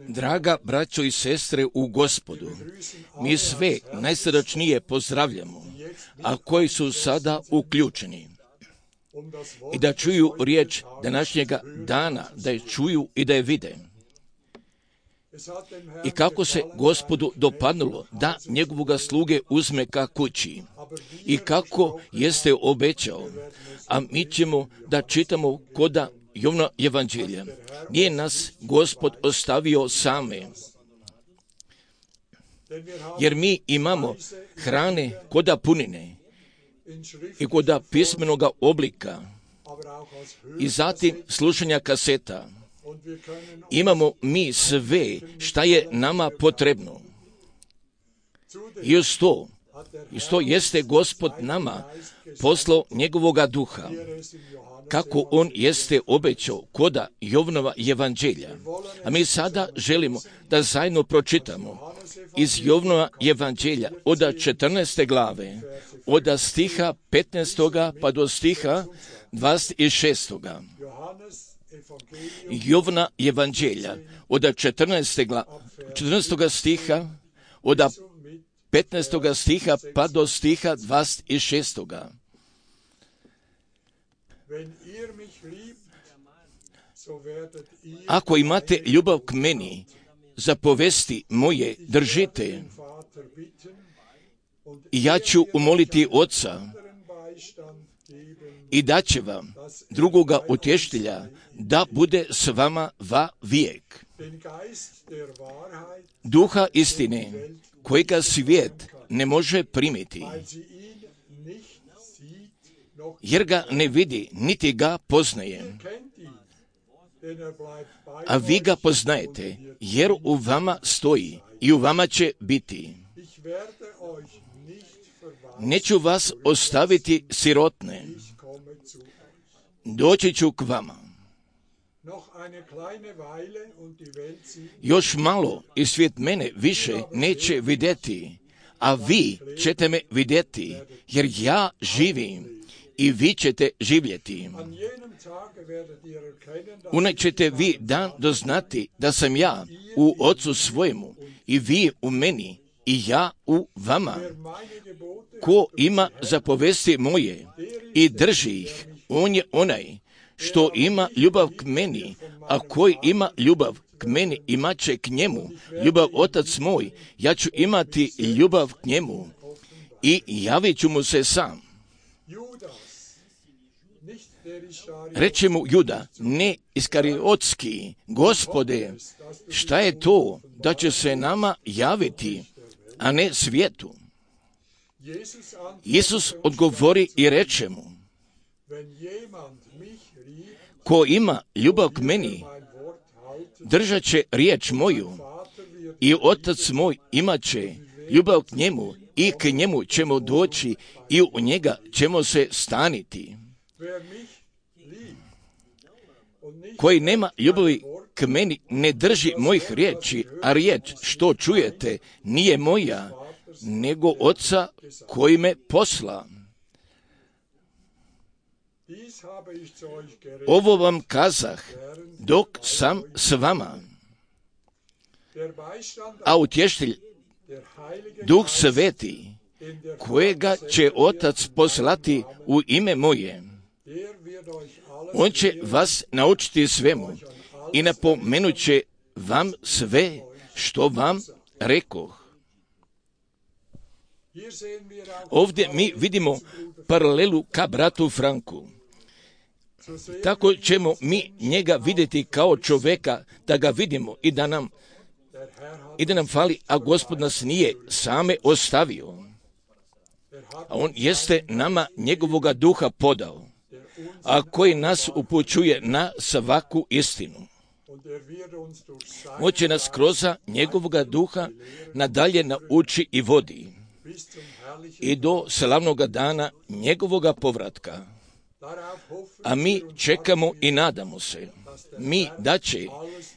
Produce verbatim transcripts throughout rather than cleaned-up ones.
Draga braćo i sestre u Gospodu, mi sve najsrdačnije pozdravljamo, a koji su sada uključeni i da čuju riječ današnjega dana, da je čuju i da je vide. I kako se Gospodu dopadnulo da njegovoga sluge uzme ka kući i kako jeste obećao, a mi ćemo da čitamo koda Jovna evanđelja. Nije nas Gospod ostavio same, jer mi imamo hrane koda punine i koda pismenoga oblika i zatim slušanja kaseta. Imamo mi sve šta je nama potrebno. I uz to, i to jeste Gospod nama poslao njegovoga duha, kako on jeste obećao koda Jovnova evanđelja. A mi sada želimo da zajedno pročitamo iz Jovnova evanđelja od četrnaeste glave, od stiha petnaestoga pa do stiha dvadeset šestoga. Jovna evanđelja od četrnaestoga stiha, od petnaestoga stiha pa do stiha dvadeset šestoga. Ako imate ljubav k meni, zapovesti moje držite, i ja ću umoliti Oca i daće vam drugoga utješitelja da bude s vama va vijek. Duha istine, kojega svijet ne može primiti, jer ga ne vidi, niti ga poznaje. A vi ga poznajete, jer u vama stoji i u vama će biti. Neću vas ostaviti sirotne, doći ću k vama. Još malo i svijet mene više neće vidjeti, a vi ćete me vidjeti, jer ja živim i vi ćete živjeti. Unaj ćete vi dan doznati da sam ja u Ocu svojemu i vi u meni i ja u vama. Ko ima zapovesti moje i drži ih, on je onaj što ima ljubav k meni, a koji ima ljubav k meni imat će k njemu ljubav Otac moj, ja ću imati ljubav k njemu i javit ću mu se sam. Reče mu Juda, ne iskariotski, Gospode, šta je to da će se nama javiti, a ne svijetu? Isus odgovori i reče mu, ko ima ljubav k meni, držat će riječ moju i Otac moj imat će ljubav k njemu i k njemu ćemo doći i u njega ćemo se staniti. Koji nema ljubavi k meni ne drži mojih riječi, a riječ što čujete nije moja, nego Oca koji me posla. Ovo vam kazah dok sam s vama. A utješitelj, Duh Sveti, kojega će Otac poslati u ime moje, on će vas naučiti svemu i napomenut će vam sve što vam rekoh. Ovdje mi vidimo paralelu ka bratu Franku. Tako ćemo mi njega vidjeti kao čovjeka, da ga vidimo i da nam, i da nam fali, a Gospod nas nije same ostavio. A on jeste nama njegovoga duha podao, a koji nas upućuje na svaku istinu. Moće nas kroz njegovoga duha nadalje nauči i vodi i do slavnoga dana njegovoga povratka. A mi čekamo i nadamo se, mi da će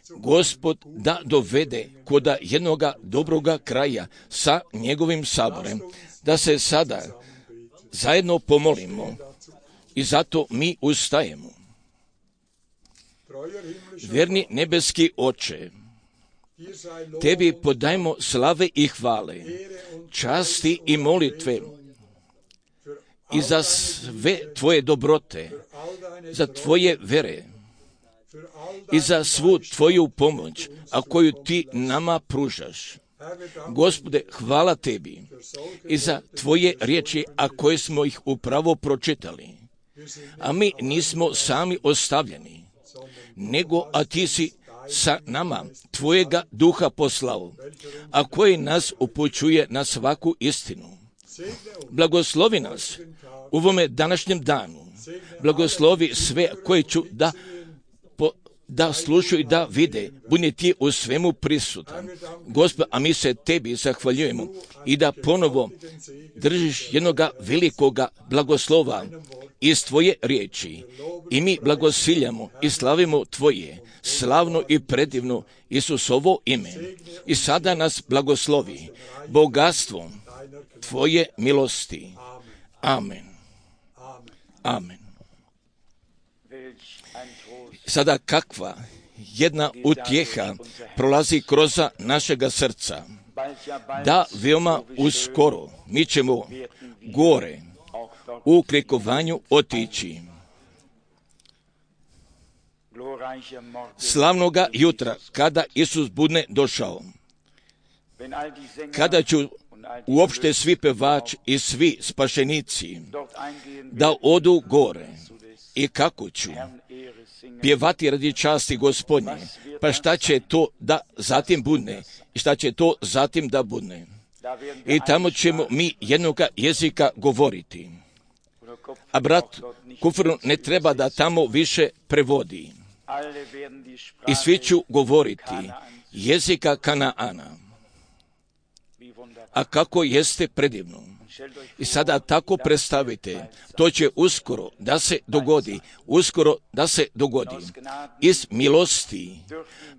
Gospod da dovede koda jednoga dobroga kraja sa njegovim saborem, da se sada zajedno pomolimo i zato mi ustajemo. Vjerni nebeski Oče, Tebi podajmo slave i hvale, časti i molitve i za sve tvoje dobrote, za tvoje vere i za svu tvoju pomoć, a koju ti nama pružaš. Gospode, hvala tebi i za tvoje riječi, a koje smo ih upravo pročitali. A mi nismo sami ostavljeni, nego a ti si sa nama tvojega duha poslao, a koji nas upućuje na svaku istinu. Blagoslovi nas u ovome današnjem danu. Blagoslovi sve koje ću da po, da slušaju i da vide. Budi ti u svemu prisutan. Gospod, a mi se tebi zahvaljujemo i da ponovo držiš jednoga velikoga blagoslova iz tvoje riječi. I mi blagosiljamo i slavimo tvoje slavno i predivno Isusovo ime. I sada nas blagoslovi bogatstvom tvoje milosti. Amen. Amen. Sada kakva jedna utjeha prolazi kroz našega srca, da veoma uskoro mi ćemo gore u uklikovanju otići. Slavnoga jutra, kada Isus bude došao, kada ću uopšte svi pevači i svi spašenici da odu gore, i kako ću pjevati radi časti Gospodnje, pa šta će to da zatim bude i šta će to zatim da bude. I tamo ćemo mi jednoga jezika govoriti. A brat Kufr ne treba da tamo više prevodi. I svi ću govoriti jezika Kanaana. A kako jeste predivno. I sada tako predstavite, to će uskoro da se dogodi, uskoro da se dogodi. Iz milosti,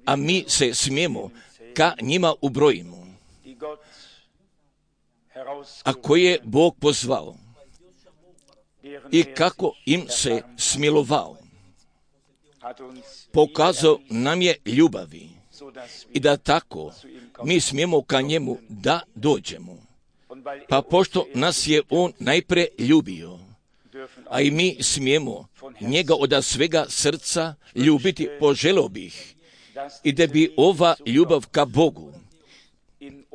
a mi se smijemo ka njima ubrojimo. A koje je Bog pozvao i kako im se smilovao. Pokazao nam je ljubavi i da tako mi smijemo ka njemu da dođemo. Pa pošto nas je on najpre ljubio, a i mi smijemo njega od svega srca ljubiti, poželio bih i da bi ova ljubav ka Bogu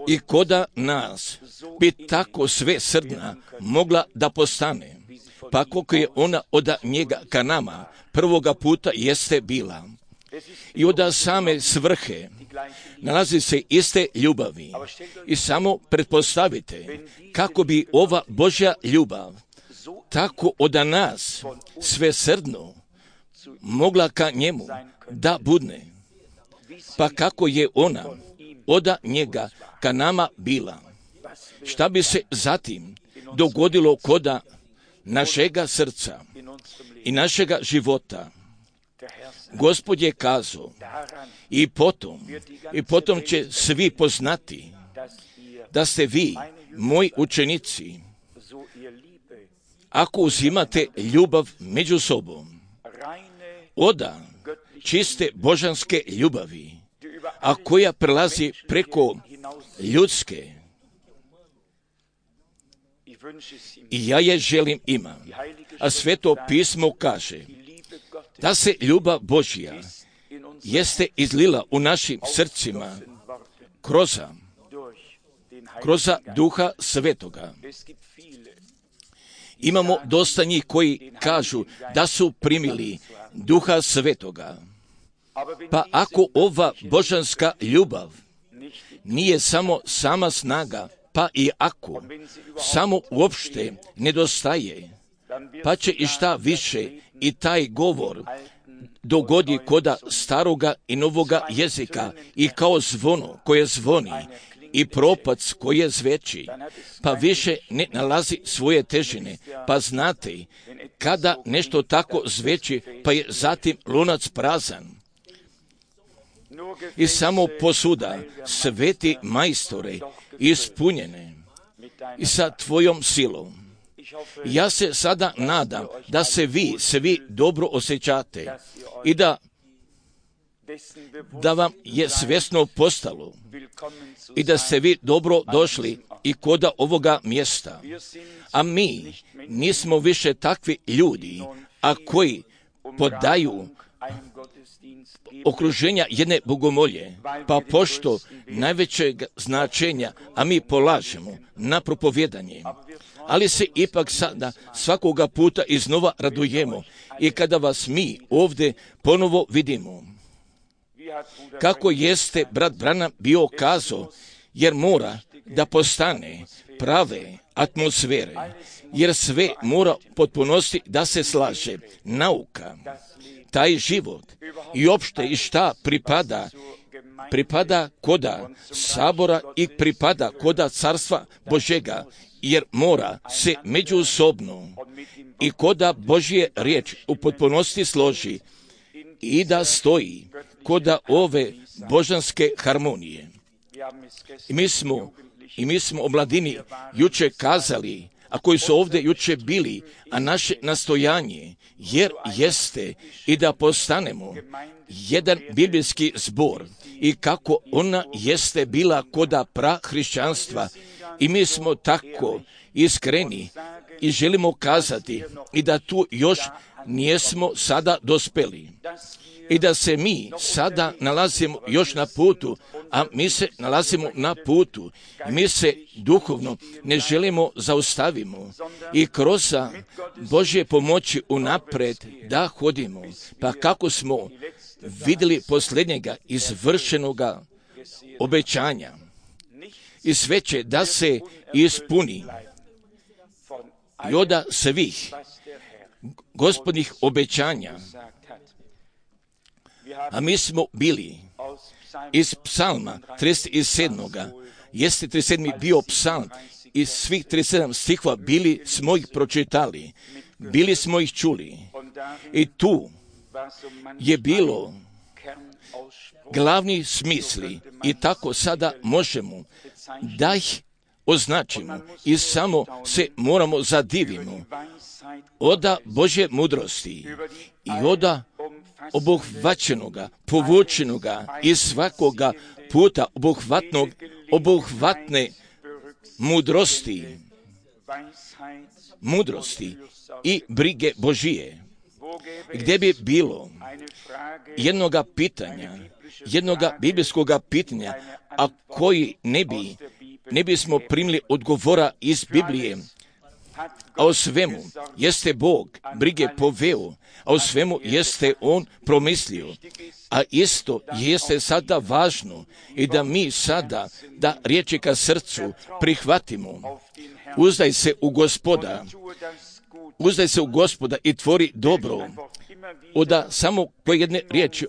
i koda nas bi tako sve srdna mogla da postane, pa koliko je ona od njega ka nama prvoga puta jeste bila. I od same svrhe nalazi se iste ljubavi. I samo pretpostavite kako bi ova Božja ljubav tako od nas sve srdno mogla ka njemu da budne. Pa kako je ona od njega ka nama bila. Šta bi se zatim dogodilo koda našega srca i našega života? Gospod je kazao, i potom, i potom će svi poznati da ste vi, moji učenici, ako uzimate ljubav među sobom, oda čiste božanske ljubavi, a koja prelazi preko ljudske. I ja je želim imam, a Sveto pismo kaže da se ljubav Božja jeste izlila u našim srcima kroz, kroz Duha Svetoga. Imamo dosta njih koji kažu da su primili Duha Svetoga. Pa ako ova božanska ljubav nije samo sama snaga, pa i ako samo uopšte nedostaje, pa će i šta više i taj govor dogodi koda staroga i novoga jezika i kao zvono koje zvoni i propac koje zveči, pa više ne nalazi svoje težine. Pa znate, kada nešto tako zveči, pa je zatim lunac prazan. I samo posuda, sveti majstore, ispunjene i sa tvojom silom. Ja se sada nadam da se vi svi dobro osjećate i da da vam je svjesno postalo i da ste vi dobro došli i koda ovoga mjesta. A mi nismo više takvi ljudi, a koji podaju okruženja jedne bogomolje, pa pošto najvećeg značenja, a mi polažemo na propovjedanje, ali se ipak sada svakoga puta iznova radujemo i kada vas mi ovdje ponovo vidimo. Kako jeste brat Branham bio kazao, jer mora da postane prave atmosfere, jer sve mora potpunosti da se slaže. Nauka, taj život i opšte i šta pripada, pripada koda sabora i pripada koda carstva Božjega, jer mora se međusobno i koda Božje riječ u potpunosti složi i da stoji koda ove božanske harmonije. I mi smo, i mi smo o mladini juče kazali, a koji su ovdje juče bili, a naše nastojanje, jer jeste i da postanemo jedan biblijski zbor i kako ona jeste bila koda prahrišćanstva i mi smo tako iskreni i želimo kazati i da tu još nijesmo sada dospeli i da se mi sada nalazimo još na putu, a mi se nalazimo na putu i mi se duhovno ne želimo zaustavimo i kroz Božje pomoći unapred da hodimo, pa kako smo vidjeli posljednjega izvršenoga obećanja i sve će da se ispuni i od svih gospodnjih obećanja. A mi smo bili iz psalma trideset sedam. Jeste trideset sedmi bio psalm i svih trideset sedam stihova bili smo ih pročitali, bili smo ih čuli i tu je bilo glavni smisli i tako sada možemo da ih označimo i samo se moramo zadivimo oda Božje mudrosti i oda obuhvaćenoga, povučenoga i svakoga puta obuhvatnog, obuhvatne mudrosti, mudrosti i brige Božije, gdje bi bilo jednoga pitanja, jednoga biblijskoga pitanja, a koji ne bi, ne bismo primili odgovora iz Biblije, a o svemu jeste Bog brige poveo, a o svemu jeste On promislio. A isto jeste sada važno i da mi sada da riječi ka srcu prihvatimo. Uzdaj se u Gospoda, uzdaj se u Gospoda i tvori dobro. Oda samo pojedne riječi,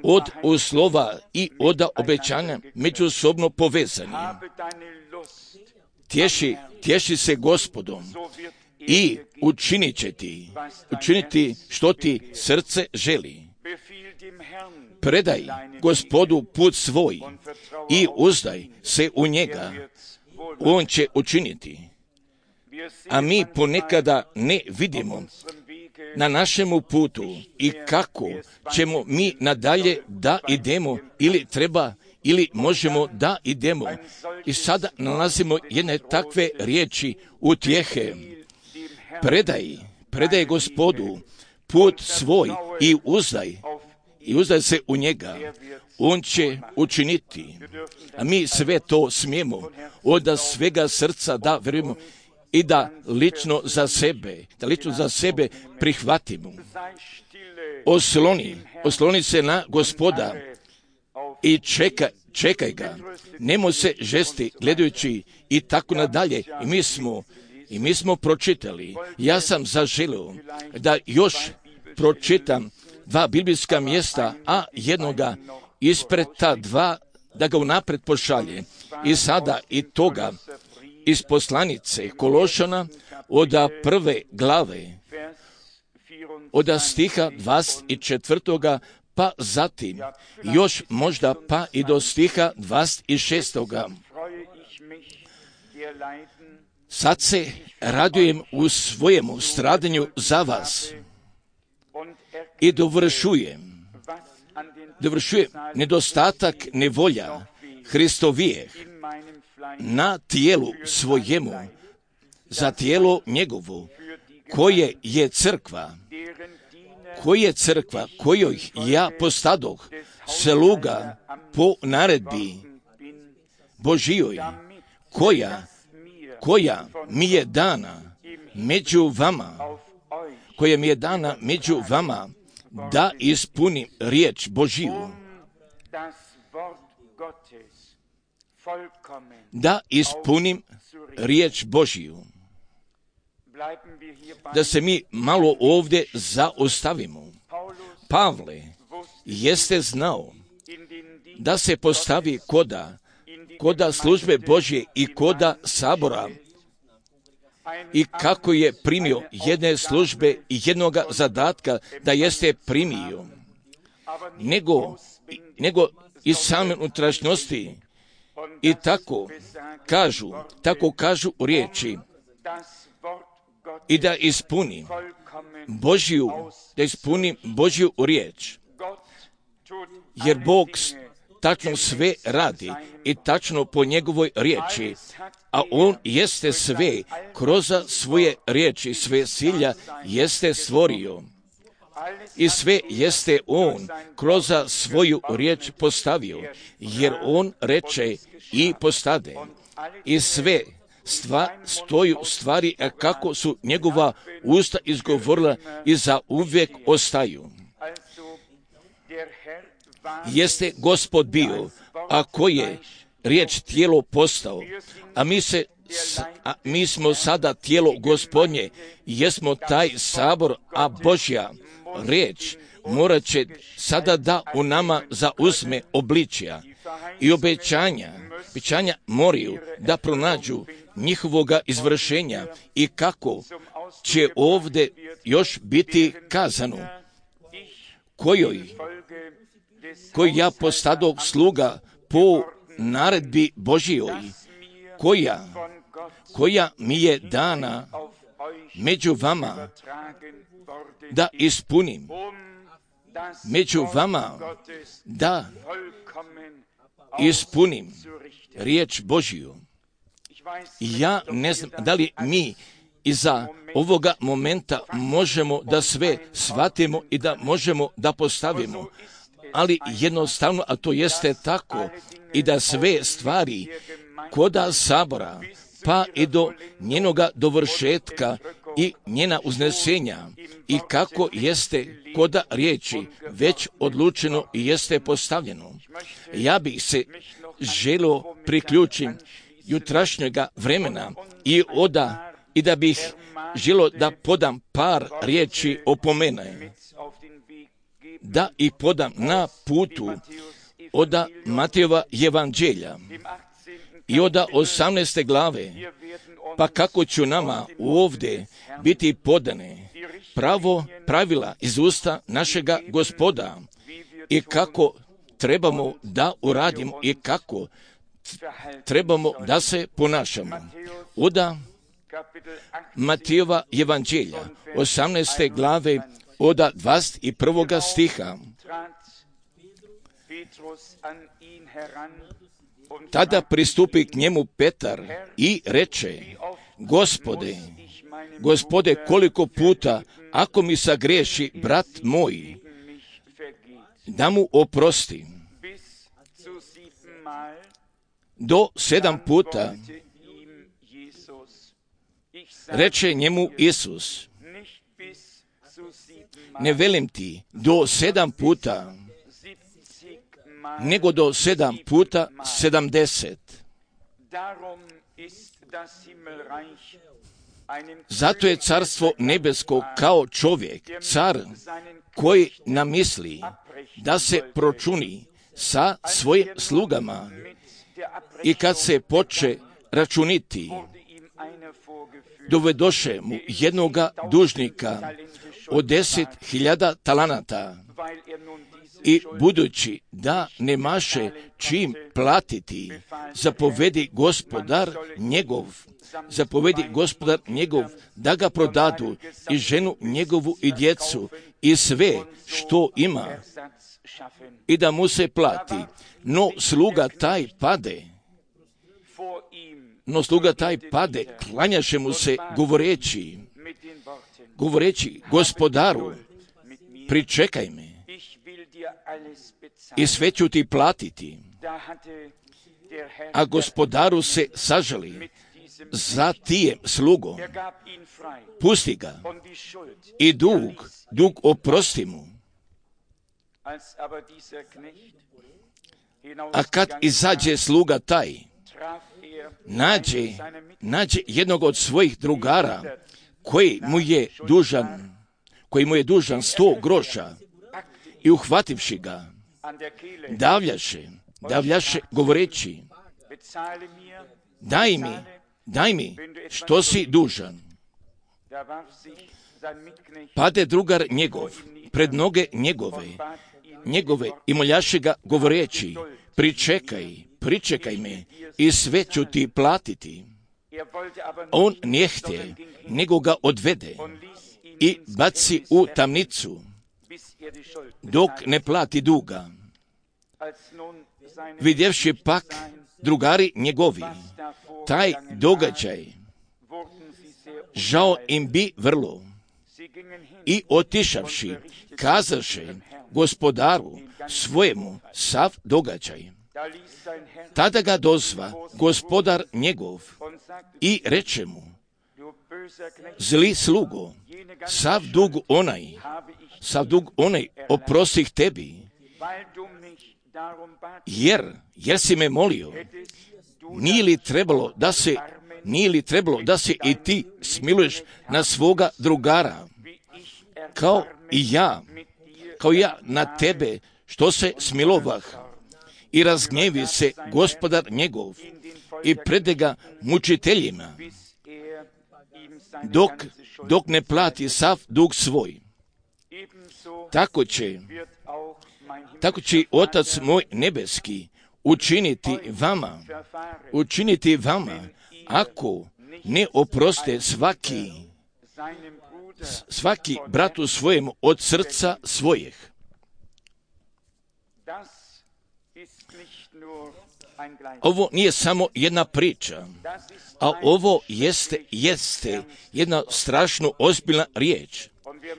od uslova i od obećanja međusobno povezani. Tješi, tješi se Gospodom i učinit će ti, učiniti što ti srce želi. Predaj Gospodu put svoj i uzdaj se u njega, on će učiniti. A mi ponekada ne vidimo na našemu putu i kako ćemo mi nadalje da idemo ili treba ili možemo da idemo. I sada nalazimo jedne takve riječi utjehe. Predaj, predaj Gospodu put svoj i uzdaj, i uzdaj se u njega. On će učiniti. A mi sve to smijemo od svega srca da vjerujemo i da lično za sebe, da lično za sebe prihvatimo. Osloni, osloni se na Gospoda i čekaj, čekaj ga. Nemo se žesti gledajući i tako nadalje. I mi smo, i mi smo pročitali. Ja sam zaželio da još pročitam dva biblijska mjesta, a jednoga ispred ta dva, da ga unapred pošalje. I sada i toga iz poslanice Kološana od prve glave, od stiha dvadeset četvrtoga pa zatim još možda pa i do stiha dvadeset šestoga. Sad se radujem u svojemu stradanju za vas i dovršujem, dovršuje nedostatak nevolja Hristovijeh na tijelu svojemu, za tijelo njegovo, koje je crkva, koje je crkva, kojoj ja postadoh sluga po naredbi Božijoj, koja, koja mi je dana među vama, koja mi je dana među vama, da ispunim riječ Božiju, da ispunim riječ Božiju. Da se mi malo ovdje zaostavimo. Pavle jeste znao da se postavi koda, koda službe Božje i koda sabora, i kako je primio jedne službe i jednoga zadatka da jeste primio, nego, nego iz same unutrašnjosti. I tako kažu, tako kažu u riječi, i da ispuni Božju, da ispuni Božju riječ. Jer Bog tačno sve radi i tačno po njegovoj riječi, a On jeste sve kroz svoje riječi, sve silja jeste stvorio. I sve jeste On kroz svoju riječ postavio, jer On reče i postade. I sve stva, stoju stvari kako su njegova usta izgovorila i za uvijek ostaju. Jeste Gospod bio, a koji je riječ tijelo postao, a mi, se, a mi smo sada tijelo Gospodnje, jesmo taj sabor, a Božja riječ morat će sada da u nama zauzme obličja i obećanja, obećanja moraju da pronađu njihovoga izvršenja i kako će ovdje još biti kazano, kojoj, koji ja postadog sluga po naredbi Božijoj, koja, koja mi je dana među vama, da ispunim među vama, da ispunim riječ Božiju. Ja ne znam da li mi iza ovoga momenta možemo da sve shvatimo i da možemo da postavimo, ali jednostavno, a to jeste tako, i da sve stvari koda sabora, pa i do njenoga dovršetka i njena uznesenja, i kako jeste koda riječi već odlučeno i jeste postavljeno. Ja bih se želio priključiti jutrašnjega vremena i oda, i da bih želio da podam par riječi opomene, da i podam na putu oda Matejova evanđelja i oda osamnaeste glave, pa kako ću nama ovdje biti podane pravo pravila iz usta našega Gospoda i kako trebamo da uradimo i kako trebamo da se ponašamo. Oda Matejova evanđelja, osamnaeste glave, oda dvadeset prvoga stiha. Tada pristupi k njemu Petar i reče, Gospode, Gospode, koliko puta, ako mi sagriješi brat moj, da mu oprosti. Do sedam puta. Reče njemu Isus, ne velim ti do sedam puta, nego do sedam puta sedamdeset. Zato je carstvo nebesko kao čovjek, car, koji namisli da se pročuni sa svojim slugama i kad se poče računiti, dovedoše mu jednoga dužnika od deset hiljada talanata i budući da nemaše čim platiti, zapovedi gospodar njegov, zapovedi gospodar njegov da ga prodadu i ženu njegovu i djecu i sve što ima i da mu se plati. No sluga taj pade, no sluga taj pade, klanjaše mu se govoreći, govoreći gospodaru, pričekaj me i sve ću ti platiti. A gospodaru se sažali za tijem slugom, pusti ga i dug, dug oprosti mu. A kad izađe sluga taj, nađe, nađe jednog od svojih drugara koji mu je dužan, koji mu je dužan sto groša i uhvativši ga, davljaše, davljaše govoreći, daj mi, daj mi što si dužan. Pade drugar njegov pred noge njegove, njegove i moljaše ga govoreći, pričekaj, pričekaj me i sve ću ti platiti. On nije htje, nego ga odvede i baci u tamnicu, dok ne plati duga. Vidjevši pak drugari njegovi taj događaj, žao im bi vrlo i otišavši, kazaše gospodaru svojemu sav događaj. Tada ga dozva gospodar njegov i reče mu, zli slugo, sav dug onaj, sav dug onaj oprostih tebi, jer, jer si me molio, nije li trebalo da se, nije li trebalo da se i ti smiluješ na svoga drugara, kao i ja, kao ja na tebe, što se smilovah. I razgnjevi se gospodar njegov i prede ga mučiteljima, dok, dok ne plati sav dug svoj. Tako će, tako će Otac moj nebeski učiniti vama, učiniti vama, ako ne oproste svaki, svaki bratu svojemu od srca svojih. Ovo nije samo jedna priča, a ovo jeste, jeste jedna strašno ozbiljna riječ.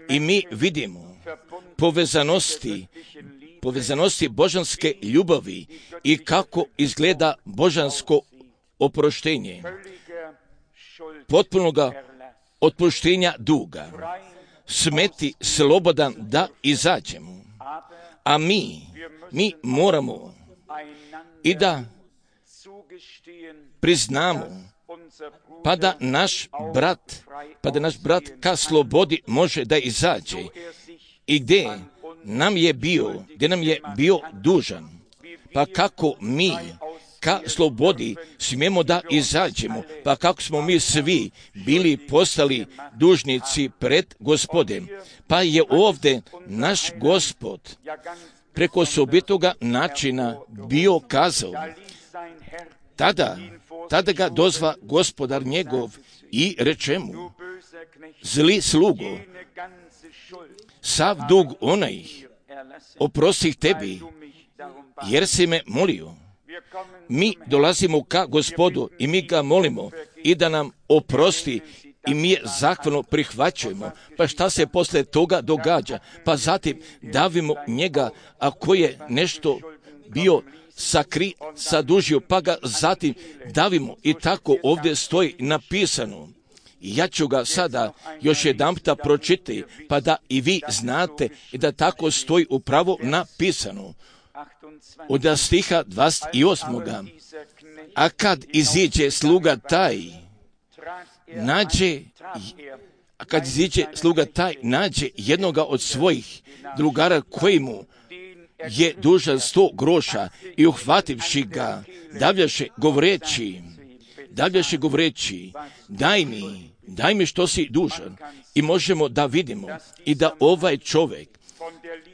I mi vidimo povezanosti, povezanosti božanske ljubavi i kako izgleda božansko oproštenje, potpunoga otpuštenja duga, smeti slobodan da izađemo. A mi, mi moramo i da priznamo, pa da naš brat, pa da naš brat ka slobodi može da izađe i gdje nam je bio, gdje nam je bio dužan, pa kako mi ka slobodi smijemo da izađemo, pa kako smo mi svi bili postali dužnici pred Gospodem, pa je ovdje naš Gospod preko osobitoga načina bio kazao. Tada, tada ga dozva gospodar njegov i reče mu, zli slugo, sav dug onaj oprostih tebi, jer si me molio. Mi dolazimo ka Gospodu i mi ga molimo i da nam oprosti i mi je zahvalno prihvaćujemo. Pa šta se posle toga događa? Pa zatim davimo njega, ako je nešto bio sakri, sadužio, pa ga zatim davimo i tako ovdje stoji napisano. Ja ću ga sada još jedanputa pročitati, pa da i vi znate i da tako stoji upravo napisano. Od stiha dvadeset osam. A kad iziđe sluga taj, nađe, a kad iziđe sluga taj, nađe jednoga od svojih drugara koji mu je dužan sto groša i uhvativši ga, davljaše govoreći, davljaše govoreći, daj mi, daj mi što si dužan. I možemo da vidimo i da ovaj čovjek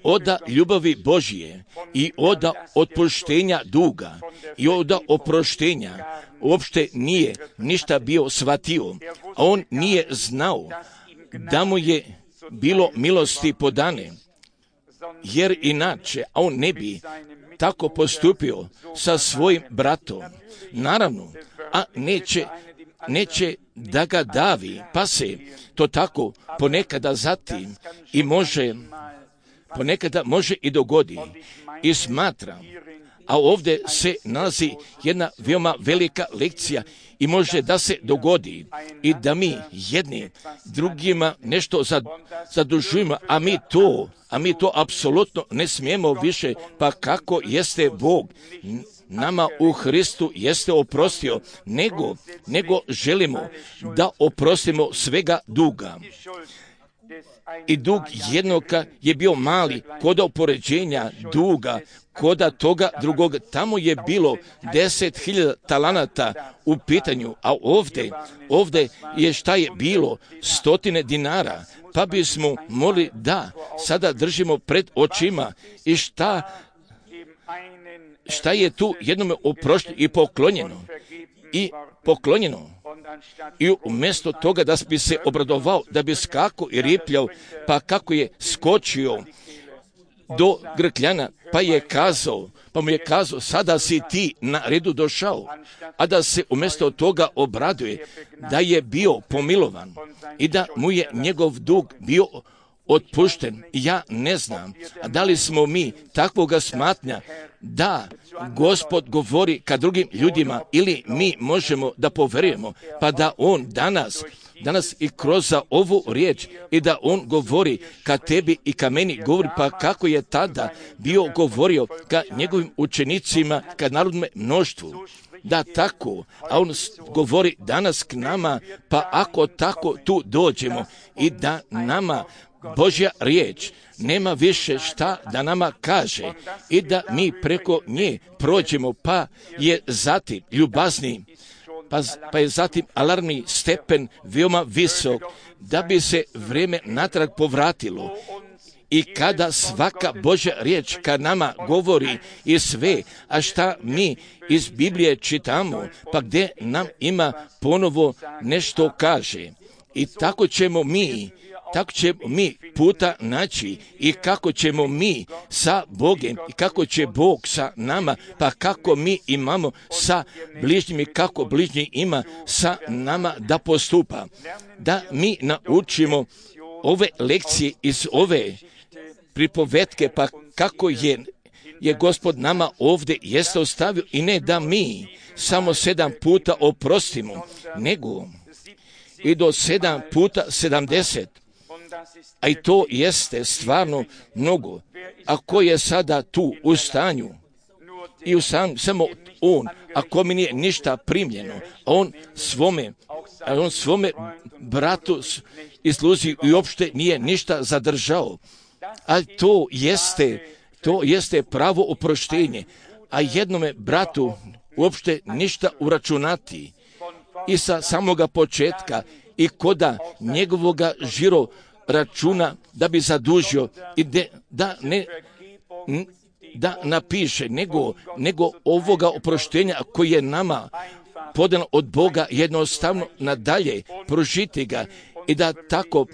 oda ljubavi Božije i oda otpuštenja duga i oda oproštenja uopšte nije ništa bio shvatio, a on nije znao da mu je bilo milosti podane, jer inače on ne bi tako postupio sa svojim bratom. Naravno, a neće, neće da ga davi, pa se to tako ponekada zatim i može, ponekada može i dogodi. I smatram, a ovdje se nalazi jedna veoma velika lekcija i može da se dogodi i da mi jedni drugima nešto zadužujemo, a mi to, a mi to apsolutno ne smijemo više, pa kako jeste Bog nama u Hristu jeste oprostio, nego, nego želimo da oprostimo svega duga. I dug jednoga je bio mali kod upoređenja duga koda toga drugog. Tamo je bilo deset hiljada talanata u pitanju, a ovdje, ovdje je šta je bilo stotine dinara, pa bismo mogli da sada držimo pred očima i šta, šta je tu jednome oprošteno i poklonjeno i poklonjeno. I umjesto toga da bi se obradovao, da bi skako i ripljao, pa kako je skočio do grkljana, pa je kazao, pa mu je kazao, sada si ti na redu došao, a da se umjesto toga obraduje, da je bio pomilovan i da mu je njegov dug bio otpušten. Ja ne znam, a da li smo mi takvoga smatnja da Gospod govori ka drugim ljudima ili mi možemo da poverujemo, pa da On danas, danas i kroz ovu riječ i da On govori ka tebi i ka meni govori, pa kako je tada bio govorio ka njegovim učenicima, ka narodnom mnoštvu. Da tako, a On govori danas k nama, pa ako tako tu dođemo i da nama Božja riječ nema više šta da nama kaže i da mi preko nje prođemo, pa je zatim ljubazni, pa, pa je zatim alarmni stepen veoma visok, da bi se vrijeme natrag povratilo. I kada svaka Božja riječ ka nama govori i sve, a šta mi iz Biblije čitamo, pa gdje nam ima ponovo nešto kaže. I tako ćemo mi tako ćemo mi puta naći i kako ćemo mi sa Bogom i kako će Bog sa nama, pa kako mi imamo sa bližnjim i kako bližnji ima sa nama da postupa. Da mi naučimo ove lekcije iz ove pripovetke, pa kako je, je Gospod nama ovdje jeste ostavio i ne da mi samo sedam puta oprostimo, nego i do sedam puta sedamdeset. A i to jeste stvarno mnogo. A ko je sada tu u stanju i u sam, samo on, ako mi nije ništa primljeno, a on svome, a on svome bratu i sluzi i uopšte nije ništa zadržao. A to jeste, to jeste pravo oproštenje. A jednome bratu uopšte ništa uračunati. I sa samoga početka i koda njegovoga žiro računa da bi zadužio i de, da ne da napiše nego, nego ovoga oproštenja koji je nama podan od Boga jednostavno nadalje prožiti ga i da tako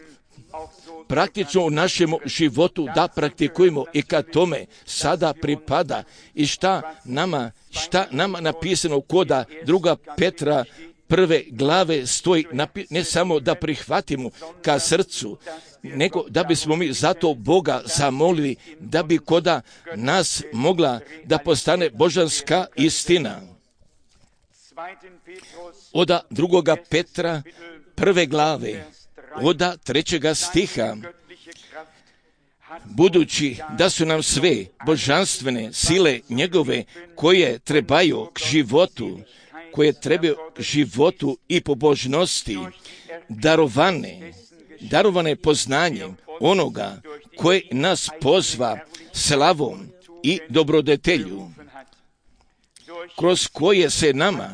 praktično u našem životu da praktikujemo i kad tome sada pripada i šta nama, šta nama napisano koda druga Petra prve glave stoji, ne samo da prihvatimo ka srcu, nego da bismo mi zato Boga zamolili da bi koda nas mogla da postane božanska istina. Oda drugoga Petra prve glave, oda trećega stiha, budući da su nam sve božanstvene sile njegove koje trebaju k životu, koje trebaju k životu i pobožnosti, darovane, darovane poznanjem onoga koje nas pozva slavom i dobrodetelju, kroz koje se nama,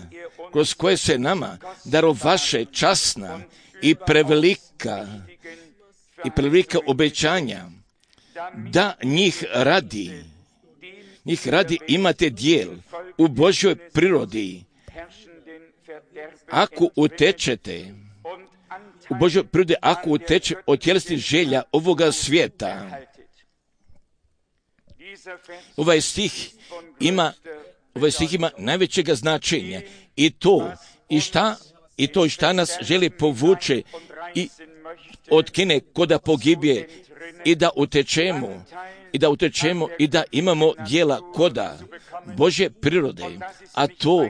kroz koje se nama darovaše časna i prevelika i prevelika obećanja, da njih radi, njih radi imate dijel u Božjoj prirodi, ako utečete u Božjoj prirodi, ako uteče od tjelesnih želja ovoga svijeta, Ovaj stih ima, ovaj stih ima najvećega značenja i to, i šta, i to šta nas želi povuče i otkine koda pogibije i da utečemo, i da utečemo i da imamo djela koda Božje prirode, a to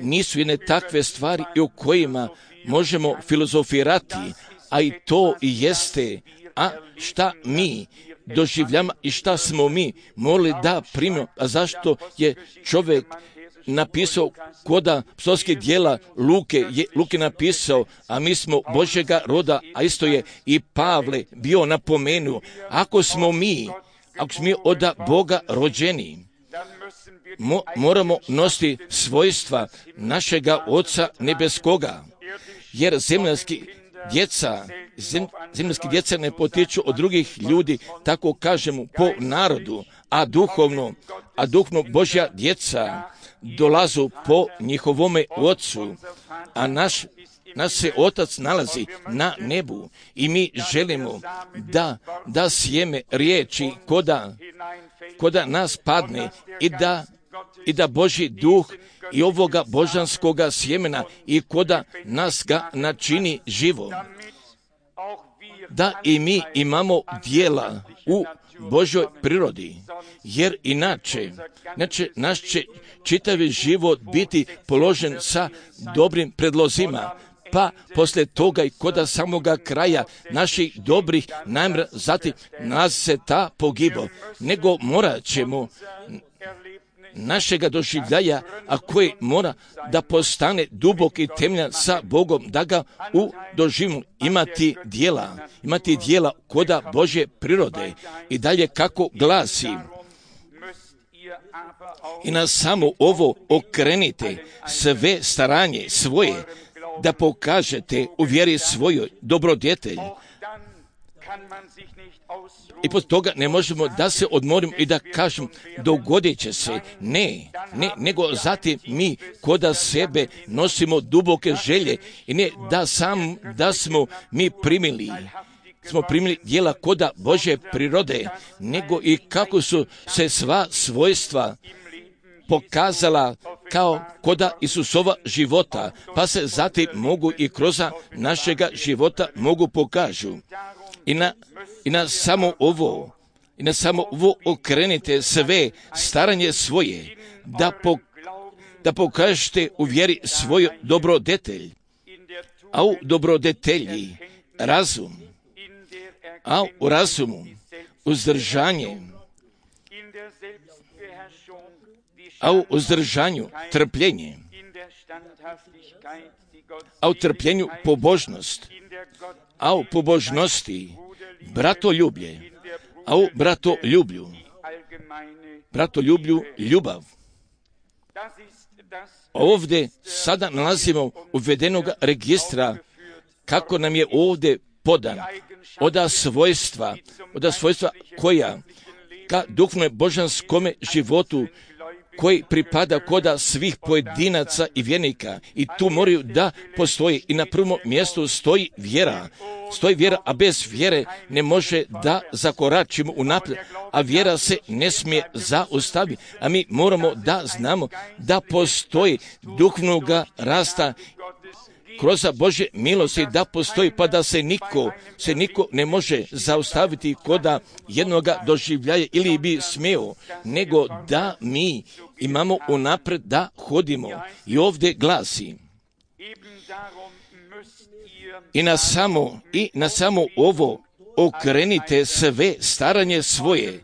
nisu jedne takve stvari i u kojima možemo filozofirati, a i to i jeste, a šta mi doživljamo i šta smo mi morali da primimo, a zašto je čovjek napisao koda psovskih djela Luke, je Luke napisao, a mi smo Božjega roda, a isto je i Pavle bio napomenuo, ako smo mi, ako smo mi od Boga rođeni, mo, moramo nositi svojstva našega Oca nebeskoga, jer zemljanski djeca, zem, zemljanski djeca ne potiču od drugih ljudi, tako kažemo, po narodu, a duhovno, a duhovno Božja djeca dolazu po njihovome Ocu, a naš, naš se Otac nalazi na nebu i mi želimo da, da sjeme riječi koda, koda nas padne i da, i da Božji duh i ovoga božanskoga sjemena i koda nas ga načini živom, da i mi imamo djela u Božjoj prirodi, jer inače, inače naš će čitavi život biti položen sa dobrim predlozima, pa poslije toga i koda samoga kraja naših dobrih namjera, zatim nas se ta pogibo, nego morat ćemo našega doživljaja, a koji mora da postane dubok i temeljan sa Bogom, da ga u doživlju imati djela, imati djela koda Božje prirode. I dalje kako glasi, i na samo ovo okrenite sve staranje svoje, da pokažete u vjeri svojoj dobrodjetelj. I pod toga ne možemo da se odmorimo i da kažem dogodit će se. Ne, ne, nego zatim mi koda sebe nosimo duboke želje i ne da sam, da smo mi primili, smo primili djela koda Božje prirode, nego i kako su se sva svojstva pokazala kao koda Isusova života, pa se zatim mogu i kroz našega života mogu pokažu. I na, i na samo ovo, i na samo ovo okrenite sve staranje svoje, da, po, da pokažete u vjeri svoj dobrodetelj, a u dobrodetelji razum, a u razumu uzdržanje, a u uzdržanju trpljenje, a u trpljenju pobožnost, a u pobožnosti bratoljublje, a u bratoljublju, bratoljublju ljubav. Ovdje sada nalazimo uvedenog registra kako nam je ovdje podan oda svojstva, oda svojstva koja ka duhovnom božanskome životu koji pripada koda svih pojedinaca i vjernika. I tu moraju da postoji i na prvom mjestu stoji vjera. Stoji vjera, a bez vjere ne može da zakoračimo unaprijed, a vjera se ne smije zaustaviti. A mi moramo da znamo da postoji duhovnoga rasta kroz Božje milosti, da postoji, pa da se niko, se niko ne može zaustaviti koda jednoga doživljaja ili bi smio, nego da mi imamo unaprijed da hodimo. I ovdje glasi, i na samo, i na samo ovo okrenite sve staranje svoje,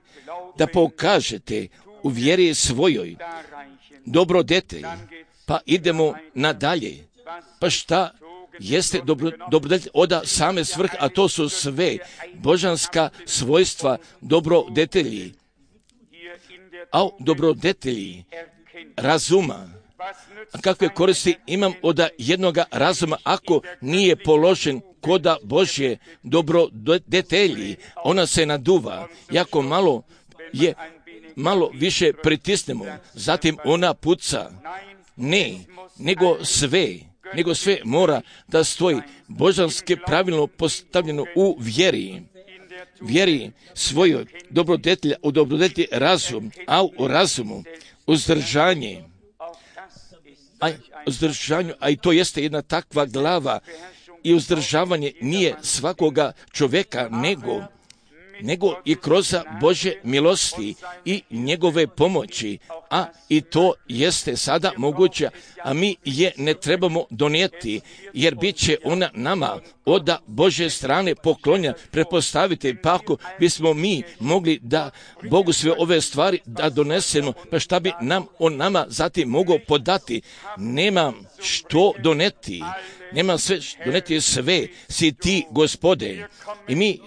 da pokažete u vjeri svojoj dobrodetelj. Pa idemo nadalje. Pa šta jeste dobro, dobrodetelj oda same svrhe, a to su sve božanska svojstva dobrodetelji. A dobrodetelji razuma. A kakve koristi imam od jednoga razuma ako nije položen koda Božje dobrodetelji? Ona se naduva. Jako malo je, malo više pritisnemo, zatim ona puca. Ne, nego sve, nego sve mora da stoji božanski pravilno postavljeno u vjeri. vjeri svojoj dobrodetlja, u dobrodetlji razum, a u razumu uzdržanje. A, uzdržanju, a i to jeste jedna takva glava i uzdržavanje nije svakoga čovjeka, nego nego i kroz Božje milosti i njegove pomoći, a i to jeste sada moguće, a mi je ne trebamo donijeti, jer bit će ona nama od Božje strane poklonja. Prepostavite, pa ako bismo mi mogli da Bogu sve ove stvari da donesemo, pa šta bi nam on nama zatim mogao podati? Nemam što doneti, nemam sve doneti, sve si ti, Gospode. I mi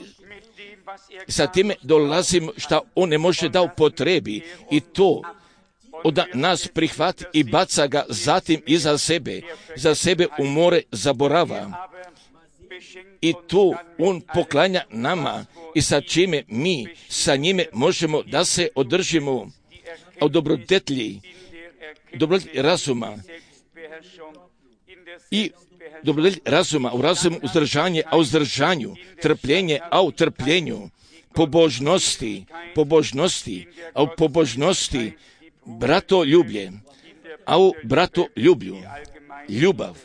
sa time dolazimo šta on ne može da upotrebi i to od nas prihvati i baca ga zatim iza sebe, za sebe u more zaborava. I tu on poklanja nama i sa čime mi sa njime možemo da se održimo u dobrodetlji, dobrodetlji razuma i dobrodetlji razuma, u razumu uzdržanje, a u uzdržanju trpljenje, a u trpljenju pobožnosti, pobožnosti, a u pobožnosti bratoljublje, a u bratoljublju ljubav.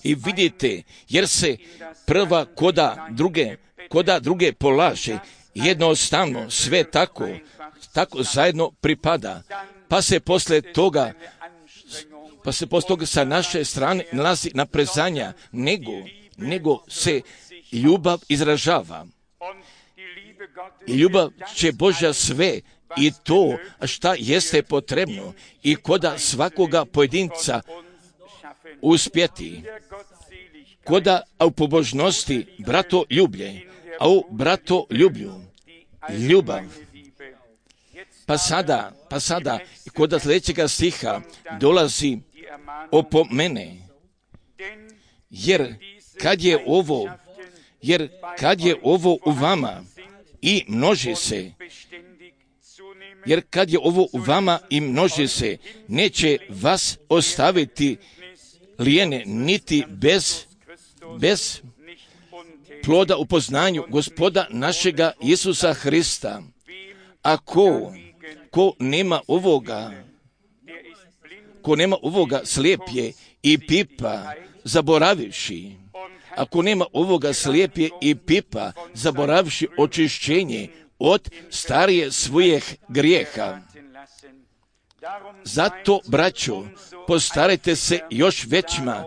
I vidite, jer se prva koda druge, koda druge polaže, jednostavno sve tako, tako zajedno pripada, pa se posle toga pa se poslije toga sa naše strane nalazi naprezanja, nego, nego se ljubav izražava. I ljubav će Božja sve i to šta jeste potrebno i koda svakoga pojedinca uspjeti. Koda a u pobožnosti brato ljublje, a u brato ljublju ljubav. Pa sada, pa sada, koda sljedećega stiha dolazi opomene, jer kad je ovo, jer kad je ovo u vama i množi se, jer kad je ovo u vama i množi se, neće vas ostaviti lijene, niti bez, bez ploda u poznanju Gospoda našega Isusa Hrista. A ko, ko nema ovoga, ko nema ovoga slijep je i pipa, zaboravivši. Ako nema ovoga slijep je i pipa, zaboravivši očišćenje od starije svojih grijeha. Zato, braćo, postarajte se još većma,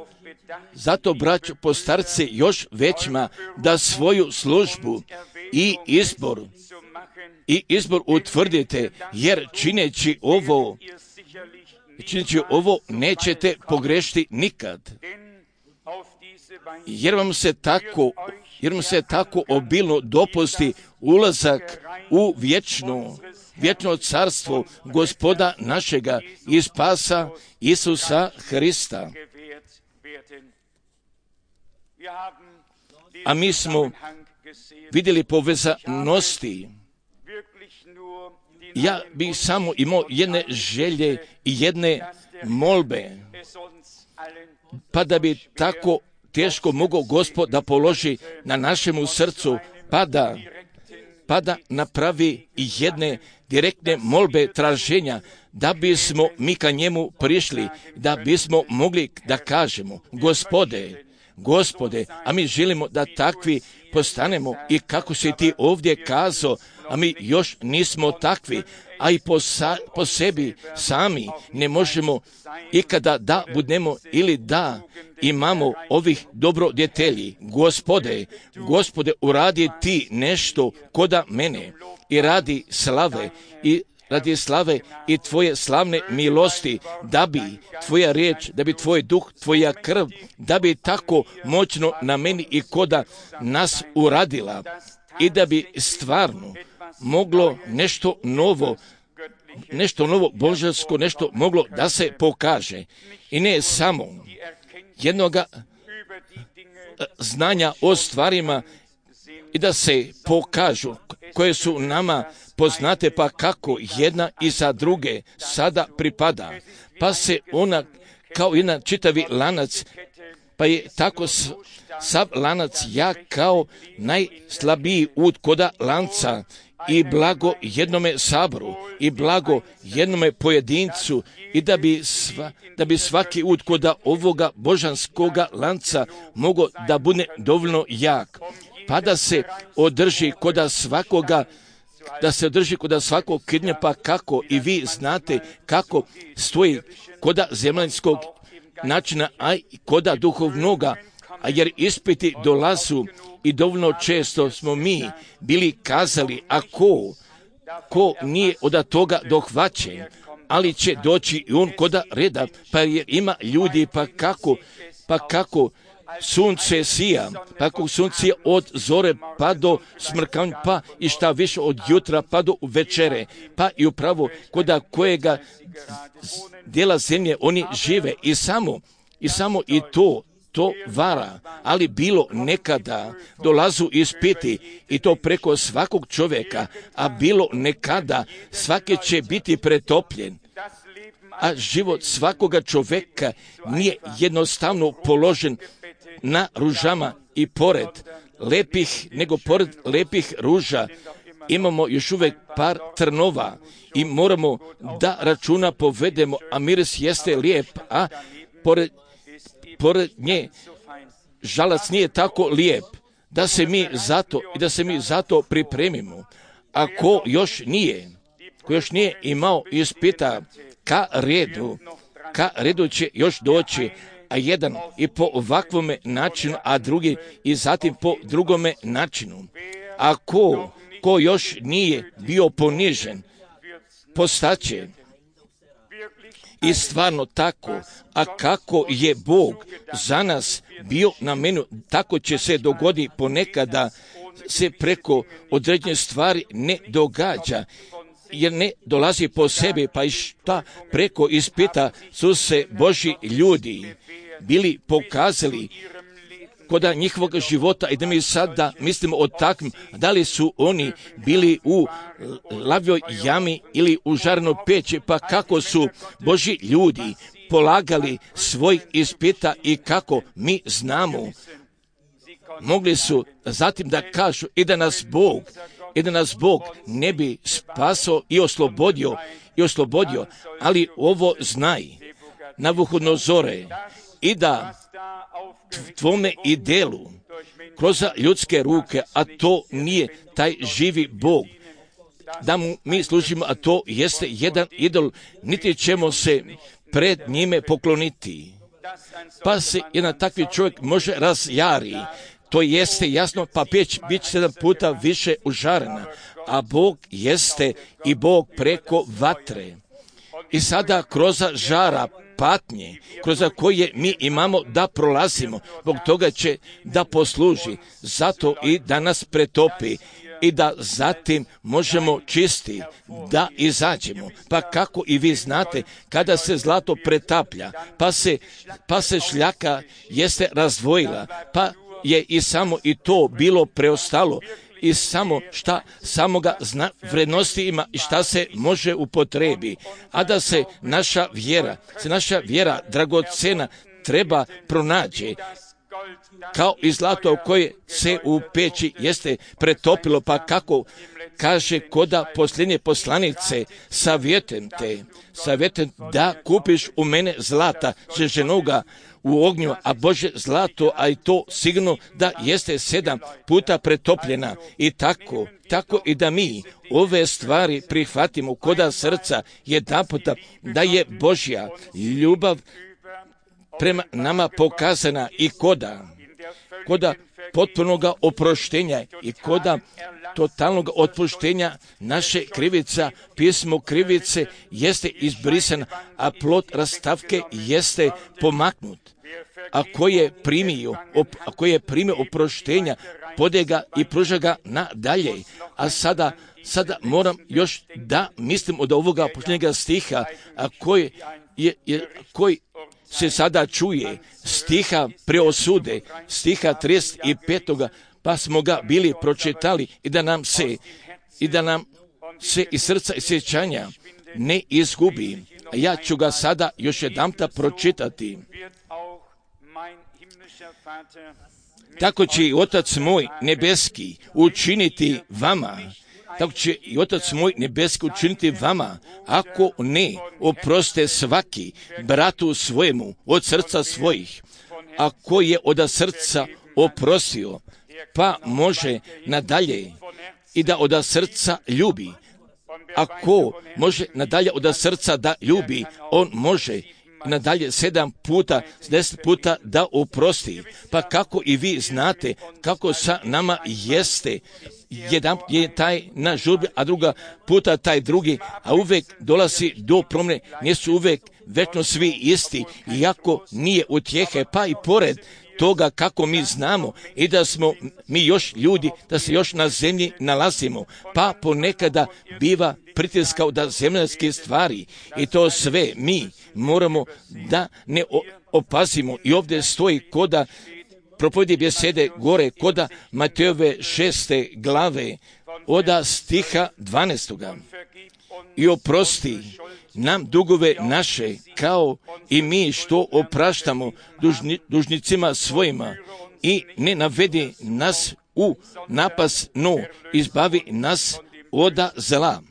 zato, braćo, postarajte se još većma da svoju službu i izbor i izbor utvrdite, jer čineći ovo, čineći ovo nećete pogrešiti nikad. Jer vam se tako, jer vam se tako obilno dopusti ulazak u vječno, vječno carstvo Gospoda našega i spasa Isusa Hrista. A mi smo vidjeli povezanosti. Ja bih samo imao jedne želje i jedne molbe, pa da bi tako teško mogao Gospod da položi na našemu srcu, pa da, pa da napravi i jedne direktne molbe traženja, da bismo mi ka njemu prišli, da bismo mogli da kažemo, Gospode, Gospode, a mi želimo da takvi postanemo i kako si ti ovdje kazao, a mi još nismo takvi, a i po, sa, po sebi sami ne možemo ikada da budemo ili da imamo ovih dobrodjetelji. Gospode, Gospode, uradi ti nešto koda mene i radi slave i radi slave i tvoje slavne milosti, da bi tvoja riječ, da bi tvoj duh, tvoja krv, da bi tako moćno na meni i koda nas uradila i da bi stvarno moglo nešto novo, nešto novo božansko, nešto moglo da se pokaže. I ne samo jednoga znanja o stvarima i da se pokažu koje su nama poznate, pa kako jedna iza druge sada pripada. Pa se ona kao jedan čitavi lanac pa je tako s, sav lanac jak kao najslabiji ud koda lanca, i blago jednome saboru, i blago jednome pojedincu, i da bi, sva, da bi svaki ud koda ovoga božanskoga lanca mogo da bude dovoljno jak, pa da se održi koda svakoga, da se održi koda svakog kidnjapa, kako i vi znate kako stoji koda zemaljskog načina, a i koda duhovnoga, a jer ispiti dolazu i dovoljno često smo mi bili kazali, a ko, ko nije od toga dohvaćen, ali će doći i on koda reda, pa jer ima ljudi, pa kako, pa kako sunce sija, pa kako sunce od zore pa do smrkanja, pa i šta više od jutra pa do večere, pa i upravo koda kojega dijela zemlje oni žive, i samo, i samo i to, to vara, ali bilo nekada dolazu ispiti, i to preko svakog čovjeka, a bilo nekada svaki će biti pretopljen, a život svakoga čovjeka nije jednostavno položen na ružama, i pored lepih, nego pored lepih ruža imamo još uvijek par trnova i moramo da računa povedemo, a miris jeste lijep, a pored, pored nje žalac nije tako lijep, da se mi zato i da se mi zato pripremimo. A ko još nije, ko još nije imao ispita, ka redu, ka redu će još doći, a jedan i po ovakvome načinu, a drugi i zatim po drugome načinu. A ko, ko još nije bio ponižen, postaće. I stvarno tako, a kako je Bog za nas bio na menu, tako će se dogodi ponekada, se preko određene stvari ne događa, jer ne dolazi po sebi, pa i šta preko ispita su se Božji ljudi bili pokazali koda njihovog života, i da mi sada mislimo o takvim, da li su oni bili u lavljoj jami ili u žarnoj peći, pa kako su Božji ljudi polagali svoj ispita i kako mi znamo, mogli su zatim da kažu i da nas Bog, i da nas Bog ne bi spasao i oslobodio, i oslobodio, ali ovo znaj, Navuhodonozore, i da tvome i delu kroz ljudske ruke, a to nije taj živi Bog, da mu mi služimo, a to jeste jedan idol, niti ćemo se pred njime pokloniti. Pa se jedan takvi čovjek može razjari, to jeste jasno, pa peć bit će sedam puta više užarena, a Bog jeste i Bog preko vatre. I sada kroz žara patnje, kroz koje mi imamo da prolazimo, zbog toga će da posluži, zato i da nas pretopi, i da zatim možemo čisti, da izađemo. Pa kako i vi znate, kada se zlato pretaplja, pa se, pa se šljaka jeste razdvojila, pa je i samo i to bilo preostalo, i samo šta samoga zna, vrednosti ima i šta se može upotrebi, a da se naša vjera, se naša vjera dragocena treba pronađe, kao i zlato koje se u peći jeste pretopilo, pa kako kaže koda posljednje poslanice, savjetujem te, savjetujem da kupiš u mene zlata žeženoga u ognju, a Bože zlato, a i to sigurno da jeste sedam puta pretopljena, i tako, tako i da mi ove stvari prihvatimo koda srca jedanputa, da je Božja ljubav prema nama pokazana i koda, koda potpunoga oproštenja i koda totalnog otpuštenja naše krivica, pismo krivice jeste izbrisano, a plod rastavke jeste pomaknut. A ko je primio, op, a ko je primio oproštenja, pode ga i pruža ga nadalje. A sada, sada moram još da mislim od ovoga posljednjega stiha, a koji je, je, koji se sada čuje, stiha preosude, stiha trideset pet, pa smo ga bili pročitali, i da nam se, i da nam se iz srca i sjećanja ne izgubi. A ja ću ga sada još jedanputa pročitati. tako će i Otac moj nebeski učiniti vama. Tako će i Otac moj nebeski učiniti vama, ako ne oproste svaki bratu svojemu od srca svojih. Ako je od srca oprostio, pa može nadalje i da od srca ljubi. Ako može nadalje od srca da ljubi, on može nadalje sedam puta, deset puta da oprosti. Pa kako i vi znate kako sa nama jeste, jedan je taj na žurbi, a druga puta taj drugi, a uvek dolazi do promjene, nisu uvek večno svi isti, iako nije utjehe, pa i pored toga kako mi znamo i da smo mi još ljudi, da se još na zemlji nalazimo, pa ponekada biva pritiskao da zemaljske stvari i to sve mi moramo da ne opazimo. I ovdje stoji koda propovjedi besede gore, koda Matejove šeste glave, oda stiha dvanaestoga. I oprosti nam dugove naše, kao i mi što opraštamo dužni, dužnicima svojima, i ne navedi nas u napast, no izbavi nas oda zla.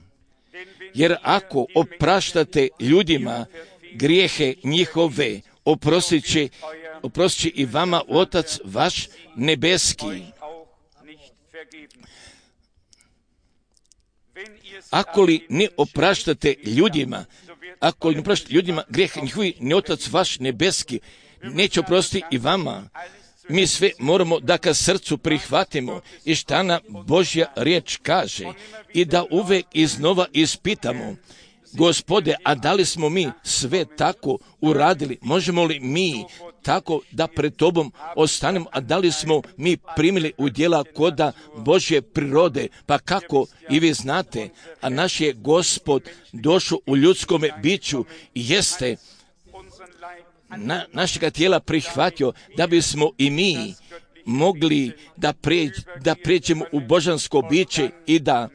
Jer ako opraštate ljudima grijehe njihove, oprostit će, oprostit će i vama Otac vaš nebeski. Ako li ne opraštate ljudima, ako li ne opraštate ljudima grijeh njihovi, ni Otac vaš nebeski neće oprostiti i vama. Mi sve moramo da ka srcu prihvatimo i šta nam Božja riječ kaže i da uvek iznova ispitamo: Gospode, a da li smo mi sve tako uradili? Možemo li mi tako da pred Tobom ostanemo? A da li smo mi primili u djela koda Božje prirode? Pa kako i vi znate, a naš je Gospod došao u ljudskome biću i jeste na, našega tijela prihvatio da bismo i mi mogli da, pređ, da pređemo u božansko biće i da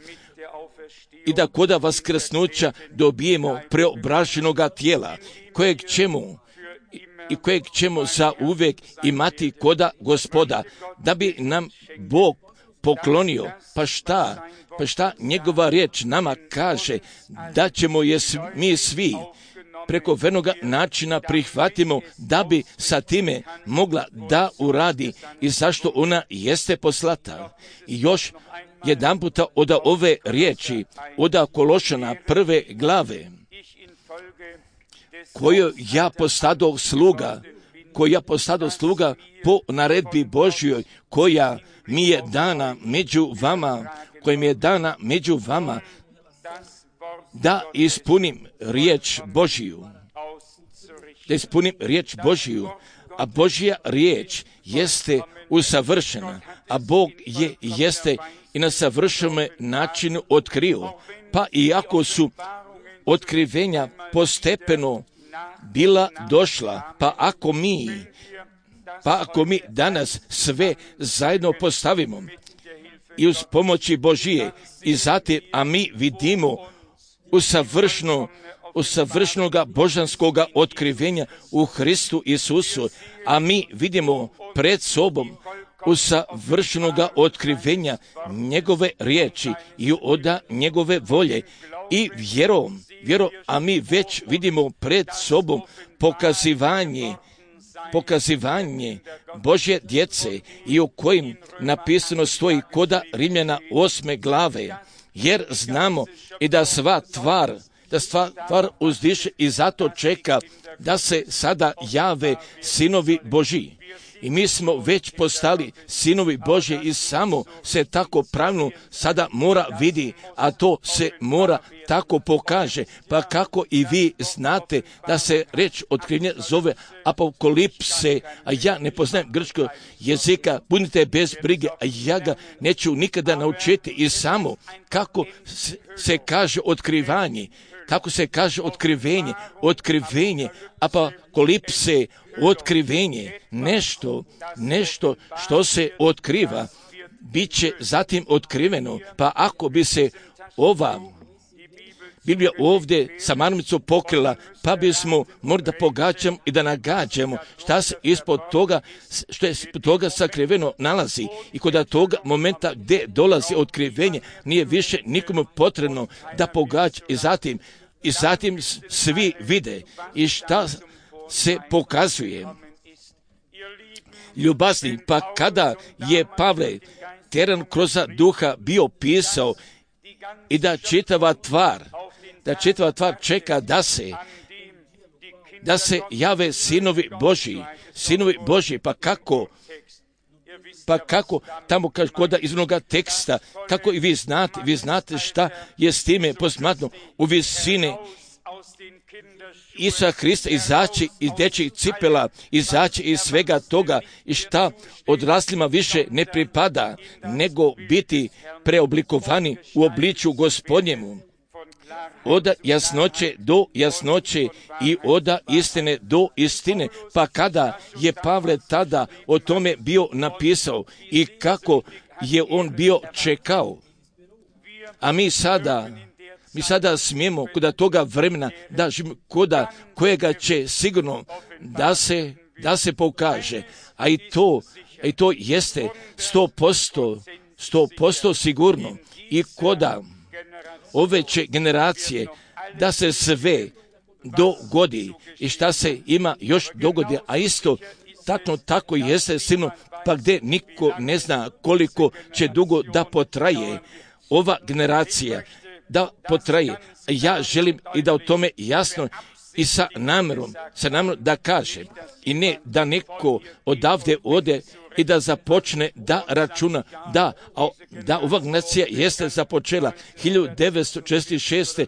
i da koda vaskrsnuća dobijemo preobraženoga tijela, kojeg ćemo i kojeg ćemo za uvijek imati koda Gospoda, da bi nam Bog poklonio. Pa šta? Pa šta njegova riječ nama kaže? Da ćemo je mi svi preko vernoga načina prihvatimo, da bi sa time mogla da uradi i zašto ona jeste poslata. I još jedan puta od ove riječi, od Kološana prve glave, koju ja postadoh sluga, koju ja postadoh sluga po naredbi Božjoj, koja mi je dana među vama, koja mi je dana među vama, da ispunim riječ Božju. Da ispunim riječ Božju, a Božja riječ jeste usavršena, a Bog je jeste i na savršenom načinu otkrio. Pa iako su otkrivenja postepeno bila došla, pa ako mi, pa ako mi danas sve zajedno postavimo i uz pomoći Božije i zatim, a mi vidimo usavršeno, usavršenoga božanskoga otkrivenja u Hristu Isusu, a mi vidimo pred sobom usavršenoga otkrivenja njegove riječi i oda njegove volje i vjerom, vjerom, a mi već vidimo pred sobom pokazivanje, pokazivanje Božje djece i u kojim napisano stoji koda Rimljana osme glave, jer znamo i da sva tvar, da sva tvar uzdiše i zato čeka da se sada jave sinovi Božji. I mi smo već postali sinovi Božji i samo se tako pravilno sada mora vidi, a to se mora tako pokaže. Pa kako i vi znate da se reč otkrivenja zove apokalipse, a ja ne poznajem grčkog jezika, budite bez brige, a ja ga neću nikada naučiti. I samo kako se kaže otkrivanje, kako se kaže otkrivenje, otkrivenje, apokalipse, otkrivenje, nešto, nešto što se otkriva, bit će zatim otkriveno. Pa ako bi se ova Biblija ovdje sa marmicom pokrila, pa bismo morali da pogađamo i da nagađamo šta se ispod toga, što je ispod toga sakriveno nalazi. I kod toga momenta gdje dolazi otkrivenje, nije više nikomu potrebno da pogađa i zatim, i zatim svi vide i šta se pokazuje. Ljubazni, pa kada je Pavle teran kroz duha bio pisao i da čitava tvar, da čitava tvar čeka da se, da se jave sinovi Božji, sinovi Božji, pa kako, pa kako, tamo kaže kod izvornoga teksta, kako i vi znate, vi znate šta je s time posmatno u visine Isusa Hrista izaći iz dječjih cipela, izaći iz svega toga i šta odraslima više ne pripada, nego biti preoblikovani u obličju Gospodnjemu. Oda jasnoće do jasnoće i oda istine do istine. Pa kada je Pavle tada o tome bio napisao i kako je on bio čekao, a mi sada Mi sada smijemo kod toga vremena da živimo koda kojega će sigurno da se, da se pokaže. A i to, a i to jeste sto posto, sto posto sigurno. I koda ove će generacije da se sve dogodi i šta se ima još dogodi, a isto tako, tako jeste sigurno, pa gdje niko ne zna koliko će dugo da potraje ova generacija, da potraje. Ja želim i da o tome jasno i sa namjerom, sa namjerom da kažem i ne da neko odavde ode i da započne da računa da, a, da ova nacija jeste započela hiljadu devetsto četrdeset šeste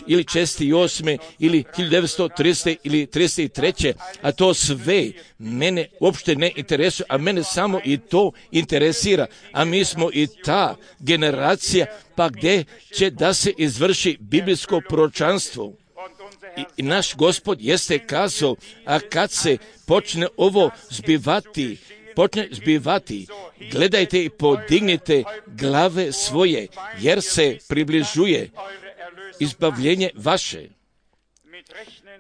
ili četrdeset osme ili hiljadu devetsto tridesete ili trideset treće a to sve mene uopšte ne interesuje, a mene samo i to interesira, a mi smo i ta generacija, pa gdje će da se izvrši biblijsko proročanstvo. I, I naš Gospod jeste kazao, a kad se počne ovo zbivati, počne zbivati, gledajte i podignite glave svoje, jer se približuje izbavljenje vaše.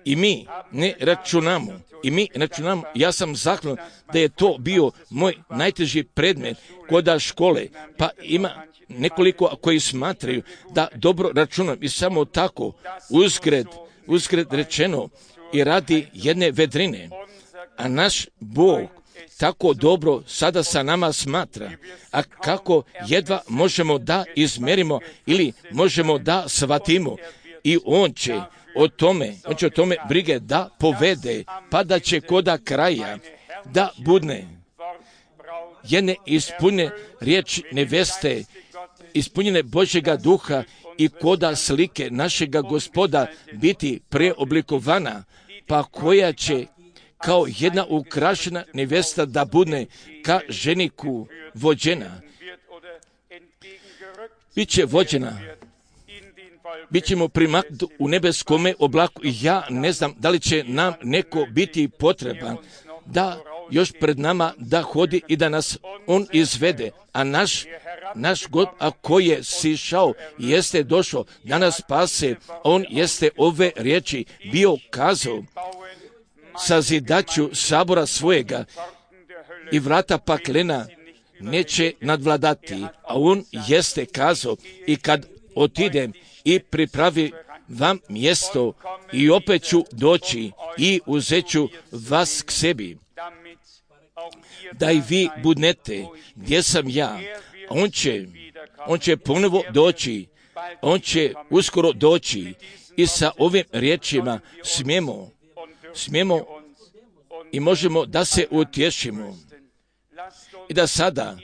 I mi ne računamo, i mi računamo, ja sam zahvalan da je to bio moj najteži predmet kod škole, pa ima nekoliko koji smatraju da dobro računam i samo tako uzgred, uzgred rečeno i radi jedne vedrine, a naš Bog tako dobro sada sa nama smatra, a kako jedva možemo da izmerimo ili možemo da shvatimo, i on će o tome, on će o tome brige da povede, pa da će koda kraja da budne jedne ispunjene riječi neveste, ispunjene Božjega duha i koda slike našega Gospoda biti preoblikovana, pa koja će kao jedna ukrašena nevesta da budne ka ženiku vođena. Biće vođena, bit ćemo primaknuti u nebeskome oblaku i ja ne znam da li će nam neko biti potreban da još pred nama da hodi i da nas on izvede, a naš, naš God, a koji je sišao, jeste došao da nas spase, on jeste ove riječi bio kazao, sazidaću sabora svojega i vrata paklena neće nadvladati, a on jeste kazao, i kad otidem i pripravi vam mjesto i opet ću doći i uzet ću vas k sebi, da i vi budnete gdje sam ja. On će, on će ponovo doći, on će uskoro doći i sa ovim riječima smijemo, smijemo i možemo da se utješimo i da sada,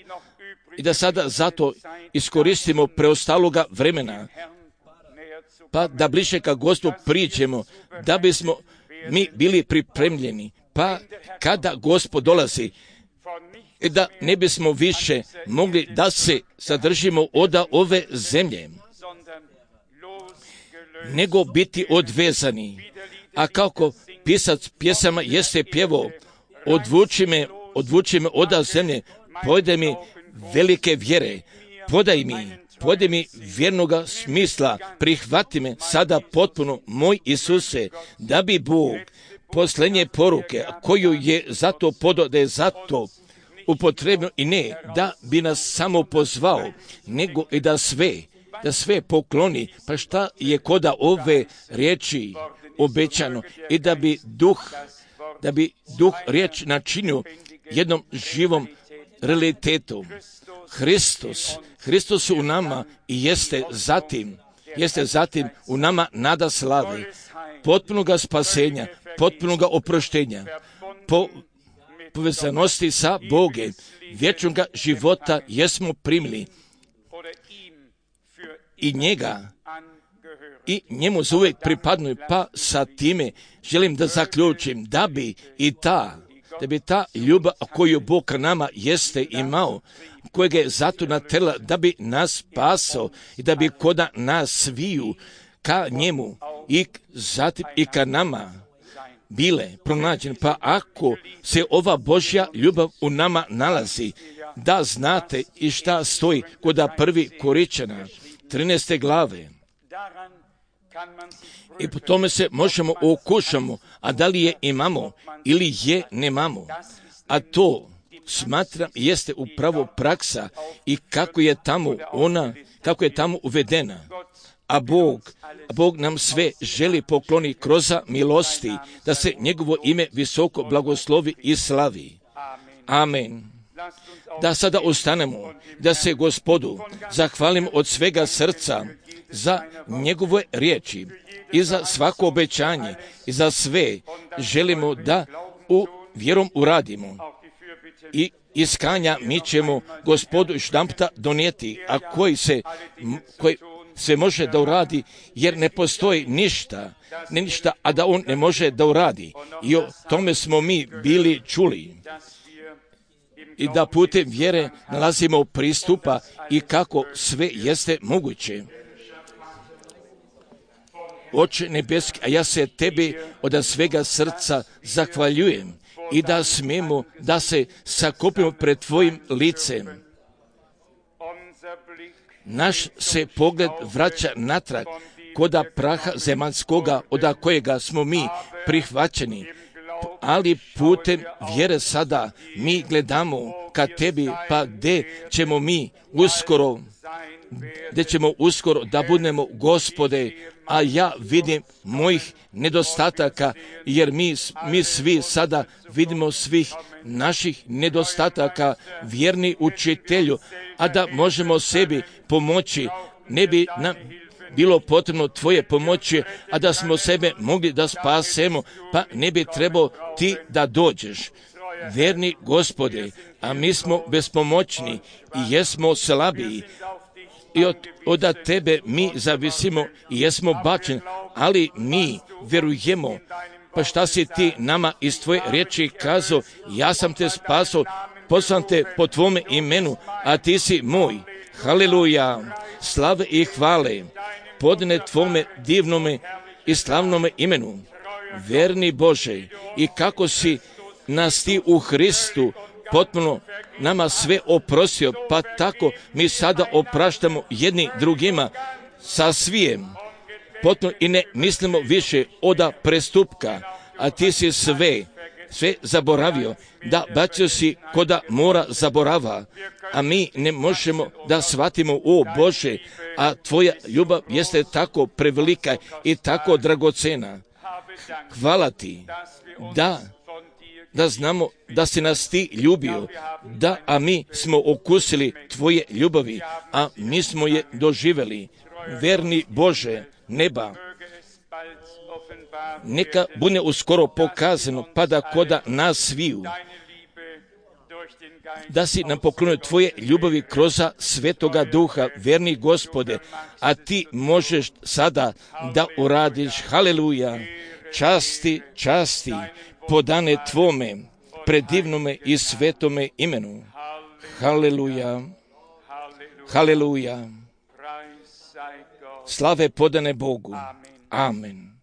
i da sada zato iskoristimo preostaloga vremena, pa da bliže ka Gospodu priđemo, da bismo mi bili pripremljeni, pa kada Gospod dolazi, i da ne bismo više mogli da se zadržimo od ove zemlje, nego biti odvezani. A kako pisac pjesama jeste pjevao, odvuči me, odvuči me od zemlje, pojde mi velike vjere, podaj mi, pode mi vjernoga smisla, prihvati me sada potpuno, moj Isuse, da bi Bog posljednje poruke koju je zato podao, da je zato upotrebno i ne da bi nas samo pozvao, nego i da sve, da sve pokloni, pa šta je koda ove riječi obećano i da bi duh, da bi duh riječ načinio jednom živom realitetu. Hristos, Hristos u nama i jeste zatim, jeste zatim u nama nada slave, potpunoga spasenja, potpunoga oproštenja, po povezanosti sa Bogom, vječnog života jesmo primili i njega i njemu zauvijek pripadnu, pa sa time želim da zaključim da bi i ta, da bi ta ljubav koju Bog ka nama jeste imao, kojega je zato natjerala da bi nas spasao i da bi koda nas sviju ka njemu i zatim i ka nama bile pronađene. Pa ako se ova Božja ljubav u nama nalazi, da znate i šta stoji koda prvi Koričana, trinaeste glave. I po tome se možemo okušamo, a da li je imamo ili je nemamo. A to smatram jeste upravo praksa i kako je tamo ona, kako je tamo uvedena. A Bog, a Bog nam sve želi pokloni kroz milosti, da se njegovo ime visoko blagoslovi i slavi. Amen. Da sada ostanemo, da se Gospodu zahvalim od svega srca za njegove riječi i za svako obećanje i za sve želimo da u vjerom uradimo. I iskanja mi ćemo Gospodu štampta donijeti, a koji se, koji sve može da uradi, jer ne postoji ništa, ne ništa, a da on ne može da uradi. I o tome smo mi bili čuli. I da putem vjere nalazimo pristupa i kako sve jeste moguće. Oče nebeski, a ja se tebi od svega srca zahvaljujem i da smijemo da se sakupimo pred tvojim licem. Naš se pogled vraća natrag koda praha zemaljskoga, od kojega smo mi prihvaćeni, ali putem vjere sada mi gledamo ka tebi, pa gdje ćemo mi uskoro, gdje ćemo uskoro da budemo, Gospode, a ja vidim mojih nedostataka, jer mi, mi svi sada vidimo svih naših nedostataka, vjerni učitelju, a da možemo sebi pomoći, ne bi nam bilo potrebno tvoje pomoći, a da smo sebe mogli da spasemo, pa ne bi trebao ti da dođeš. Verni Gospode, a mi smo bespomoćni i jesmo slabiji, i od, od tebe mi zavisimo i jesmo bačeni, ali mi vjerujemo. Pa šta si ti nama iz tvoje riječi kazao? Ja sam te spasao, poslan te po tvome imenu, a ti si moj. Haleluja, slave i hvale podne tvome divnome i slavnome imenu. Verni Bože, i kako si nas ti u Hristu potpuno nama sve oprostio, pa tako mi sada opraštamo jedni drugima sa svijem. Potpuno i ne mislimo više oda prestupka, a ti si sve, sve zaboravio, da bacio si koda mora zaborava, a mi ne možemo da shvatimo, o Bože, a tvoja ljubav jeste tako prevelika i tako dragocena. Hvala ti, da da znamo da si nas ti ljubio, da, a mi smo okusili tvoje ljubavi, a mi smo je doživjeli. Verni Bože neba, neka bude uskoro pokazano, pa da koda nas sviju, da si nam poklonio tvoje ljubavi kroz Svetoga Duha, verni Gospode, a ti možeš sada da uradiš. Haleluja, časti, časti, podane tvome, predivnome i svetome imenu. Haleluja, haleluja, slave podane Bogu. Amen.